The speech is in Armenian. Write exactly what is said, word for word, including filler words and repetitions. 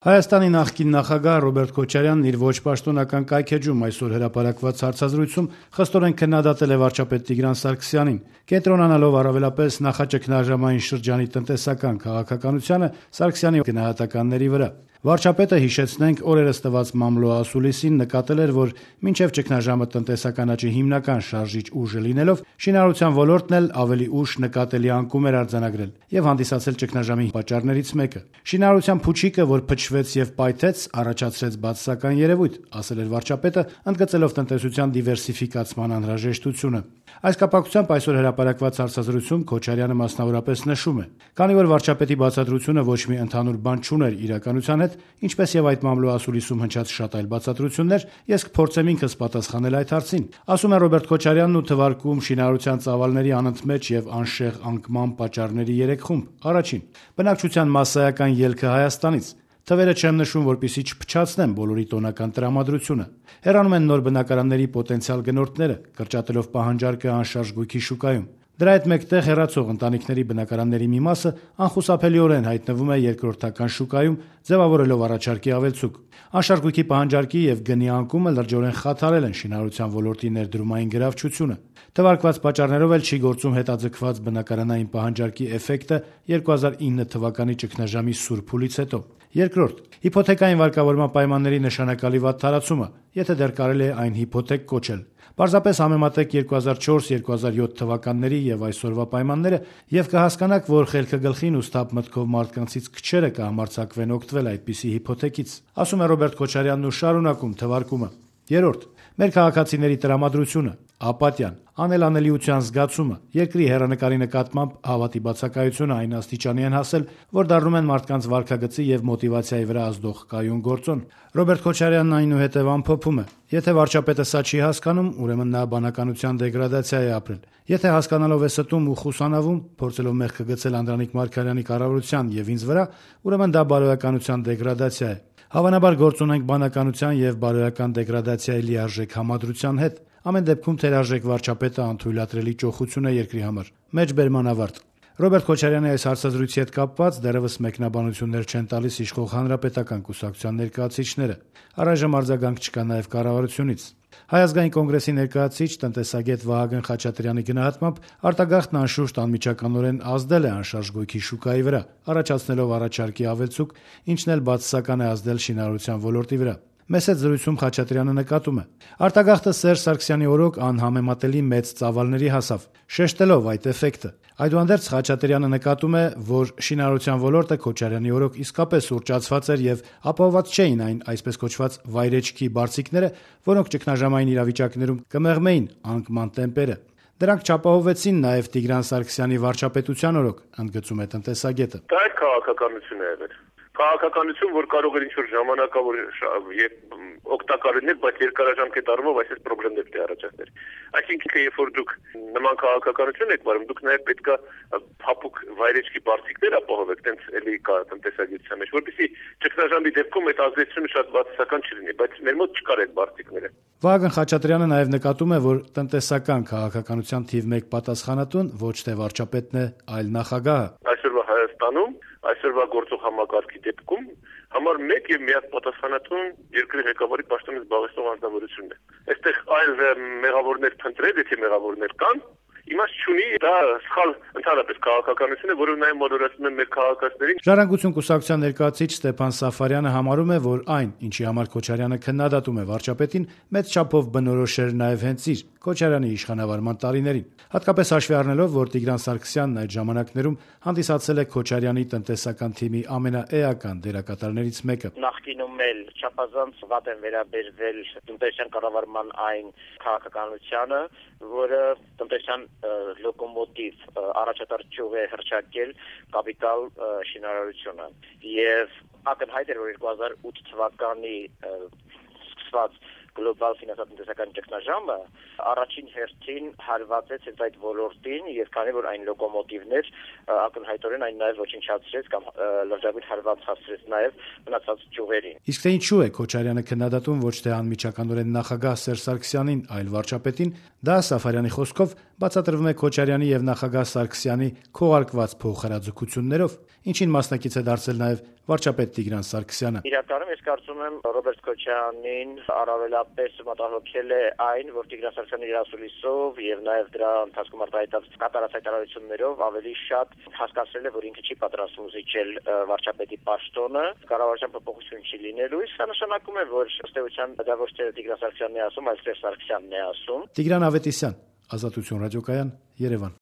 Հայաստանի նախկին նախագահ Ռոբերտ Քոչարյանն իր ոչ պաշտոնական կայքէջում այսօր հրապարակված հարցազրույցում խստորեն քննադատել է վարչապետ Տիգրան Սարգսյանին, կենտրոնանալով առավելապես նախաճգնաժամային շրջանի տնտեսական քաղաքականությանը Սարգսյանի գնահատականների վրա։ Վարչապետը, հիշեցնենք, օրերս տված մամլո ասուլիսին նկատել էր, որ մինչև ճգնաժամը տնտեսական աճի հիմնական շարժիչ ուժը լինելով, շինարարության ոլորտն էլ ավելի ուշ նկատելի անկում էր արձանագրել եւ հանդիսացել ճգնաժամի պատճառներից մեկը։ Շինարարության փուչիկը, որ փչվեց եւ պայթեց, առաջացրեց բացասական երևույթ, ասել էր վարչապետը, ընդգծելով տնտեսության դիվերսիֆիկացման անհրաժեշտությունը։ Այս կապակցությամբ այսօր հրապարակված հարցազրույցում Քոչարյանը մասնավորապես նշում է. «Քանի որ վարչապետի բացատրությունը ոչ մի ընդհանուր բան չուներ իրականության հետ, ինչպես եւ այդ մամլո ասուլիսում հնչած շատ այլ բացատրություններ, ես կփորձեմ ինքս պատասխանել այդ հարցին», ասում է Ռոբերտ Քոչարյանն ու թվարկում շինարարության ծավալների անընդմեջ եւ անշեղ անկման պատճառների երեք խումբ. Առաջին՝ բնակչության մասսայական ելքը Հայաստանից։ Թվերը չեմ նշում, որպեսզի չփչացնեմ բոլորի տոնական տրամադրությունը։ Հեռանում են նոր բնակարանների պոտենցիալ գնորդները, կրճատելով պահանջարկը անշարժ գույքի շուկայում։ Դրա հետ մեկտեղ հեռացող ընտանիքների բնակարանների մի մասը անխուսափելիորեն հայտնվում է երկրորդական շուկայում, ձևավորելով առաջարկի ավելցուկ։ Անշարժ գույքի պահանջարկի եւ գնի անկումը լրջորեն խաթարել են շինարարության ոլորտի ներդրումային գրավչությունը։ Թվարկված պատճառներով էլ չի գործում հետաձգված բնակարանային պահանջարկի էֆեկտը երկու հազար ինը թվականի ճգնաժամի սուր փուլից հետո։ Երկրորդ՝ հիփոթեկային վարկավորման պայմանների նշանակալի վատ տարածումը, եթե դեռ կարելի է այն հիփոթեք կոչել։ Պարզապես համեմատեք երկու հազար չորս երկու հազար յոթ թվականների եւ այսօրվա պայմանները եւ կհասկանաք, որ խելքը գլխին ու սթափ մտքով մարդկանցից քչերը կհամարձակվեն օգտվել այդպիսի հիփոթեկից, ասում է Ռոբերտ Քոչարյանն ու շարունակում թվարկումը։ Երրորդ՝ մեր քաղաքացիների տրամադրությունը, ապատիան, անելանելիության զգացումը, երկրի հեռանկարի նկատմամբ հավատի բացակայությունը այն աստիճանի են հասել, որ դառնում են մարդկանց վարքագծի եւ մոտիվացիայի վրա ազդող կայուն գործոն։ Ռոբերտ Քոչարյանն այնուհետև ամփոփում է. եթե վարչապետը սա չի հասկանում, ուրեմն նա բանականության դեգրադացիա է ապրել։ Եթե հասկանալով է ստում ու խուսանավում, փորձելով մեղքը գցել Անդրանիկ Մարգարյանի կառավարության եւ ինձ վրա, ուրեմն դա բարոյականության դեգրադացիա է։ Հավանաբար գործ ունենք բանականության եւ բարոյական դեգրադացիայի լիարժեք համադրության հետ։ Ամեն դեպքում թերարժեք վարչապետը անթույլատրելի ճոխություն է երկրի համար։ Մեջբերման ավարտ։ Ռոբերտ Քոչարյանի այս հարցազրույցի հետ կապված դեռևս մեկնաբանություններ չեն տալիս իշխող հանրապետական կուսակցության ներկայացուցիչները։ Առայժմ արձագանք չկա նաև կառավարությունից։ Հայ ազգային կոնգրեսի ներկայացուցիչ տնտեսագետ Վահագն Խաչատրյանի գնահատմամբ արտագաղթն անշուշտ անմիջականորեն ազդել է անշարժ գույքի շուկայի վրա, առաջացնելով առաջարկի ավելցուկ, ինչն էլ բացասական է ազդել շինարարության ոլորտի վրա։ Մեծ հետ զրույցում Խաչատրյանը նկատում է. արտագաղթը Սերժ Սարգսյանի օրոք անհամեմատելի մեծ ծավալների հասավ, շեշտելով այդ էֆեկտը։ Այդուհանդերձ Խաչատրյանը նկատում է, որ շինարարության ոլորտը Քոչարյանի օրոք իսկապես ուռճացված էր եւ ապահովված չէին այն այսպես կոչված վայրեջքի բարձիկները, որոնք ճգնաժամային իրավիճակներում կմեղմեին անկման տեմպերը։ Դրանք չապահովվեցին նաև Տիգրան Սարգսյանի վարչապետության օրոք, ընդգծում է տնտեսագետը։ Դա այդ քաղաքականություն է եղել։ Քաղաքականություն, որ կարող էր ինչ-որ ժամանակավոր օգտակար լինել, բայց երկարաժամկետ առումով այսպես խնդիրներ պետք է առաջացներ։ Այսինքն, երբ որ դուք նման քաղաքականություն եք վարում, դուք նաև պետք է փափուկ վայրեջքի բարձիկներ ապահովեք, տենց էլի կա տնտեսագիտության մեջ, որպեսզի ճգնաժամի դեպքում այդ ազդեցությունը շատ բացասական չլինի, բայց մեր մոտ չկար այդ բարձիկները։ Վահագն Խաչատրյանը նաև նկատում է, որ տնտեսական քաղաքականության թիվ մեկ պատասխանատուն ոչ թե վարչապետն է, այլ նախագահը։ Այսօրվա Հայաստանում, այսօրվա գործող համակարգի դեպքում համար մեկ եւ միակ պատասխանատուն երկրի ղեկավարի պաշտոնից զբաղեցնող անձնավորությունն է։ Այստեղ այլ մեղավորներ փնտրել, եթե մեղավորներ կան, իմաստ չունի, դա սխալ ընդհանրապես քաղաքականություն է, որով նաև մոլորացնում են մեր քաղաքացիներին։ Ժառանգություն կուսակցության ներկայացուցիչ Ստեփան Սաֆարյանը համարում է, որ այն, ինչի համար Քոչարյանը քննադատում է վարչապետին, մեծ չափով բնորոշ էր նաև հենց իր Քոչարյանի իշխանավարման տարիներին, հատկապես հաշվի առնելով, որ Տիգրան Սարգսյանն այդ ժամանակներում հանդիսացել է Քոչարյանի տնտեսական թիմի ամենաէական դերակատարներից մեկը։ Նախկինում էլ չափազանց վատ են վերաբերվել տնտեսական կառավարման այն քաղաքականությանը, որը տնտեսական լոկոմոտիվ առաջատար ճյուղ է հռչակել կապիտալ շինարարությունը եւ ակնհայտ էր, որ երկու հազար ութ թվականի սկսված գլոբալ ֆինանսատնտեսական ճգնաժամը առաջին հերթին հարվածեց հենց այդ ոլորտին, եւ քանի որ այն լոկոմոտիվներ ակնհայտորեն այն նաեւ ոչնչացրեց կամ լրջագույն հարված հասցրեց նաեւ մնացած ճյուղերին։ Իսկ թե ինչու է Քոչարյանը քննադատում ոչ թե անմիջականորեն նախագահ Սերժ Սարգսյանին, այլ վարչապետին, դա Սաֆարյանի խոսքով բացատրվում է Քոչարյանի եւ նախագահ Սարգսյանի քողարկված փոխհրաձգություններով, ինչին մասնակից է դարձել նաեւ վարչապետ Տիգրան Սարգսյանը։ Իրականում ես կարծում եմ Ռոբերտ Քոչարյանին առավելապես մտահոգել է այն, որ Տիգրան Սարգսյանը իր ասուլիսով եւ նաեւ դրա ընթացքում արտահայտած կատարած հայտարարություններով ավելի շատ հասկացրել է, որ ինքը չի պատրաստվում զիջել վարչապետի պաշտոնը, կառավարության փոփոխություն չի լինելու, իսկ դա նշանակում է, որ ըստ էության դա ոչ թե Տիգրան Սարգսյանն է ասում, այլ Սերժ Սարգսյանն է ասում։ Տիգրան Ավետիսյան, Ազատություն ռադիոկայան, Երևան։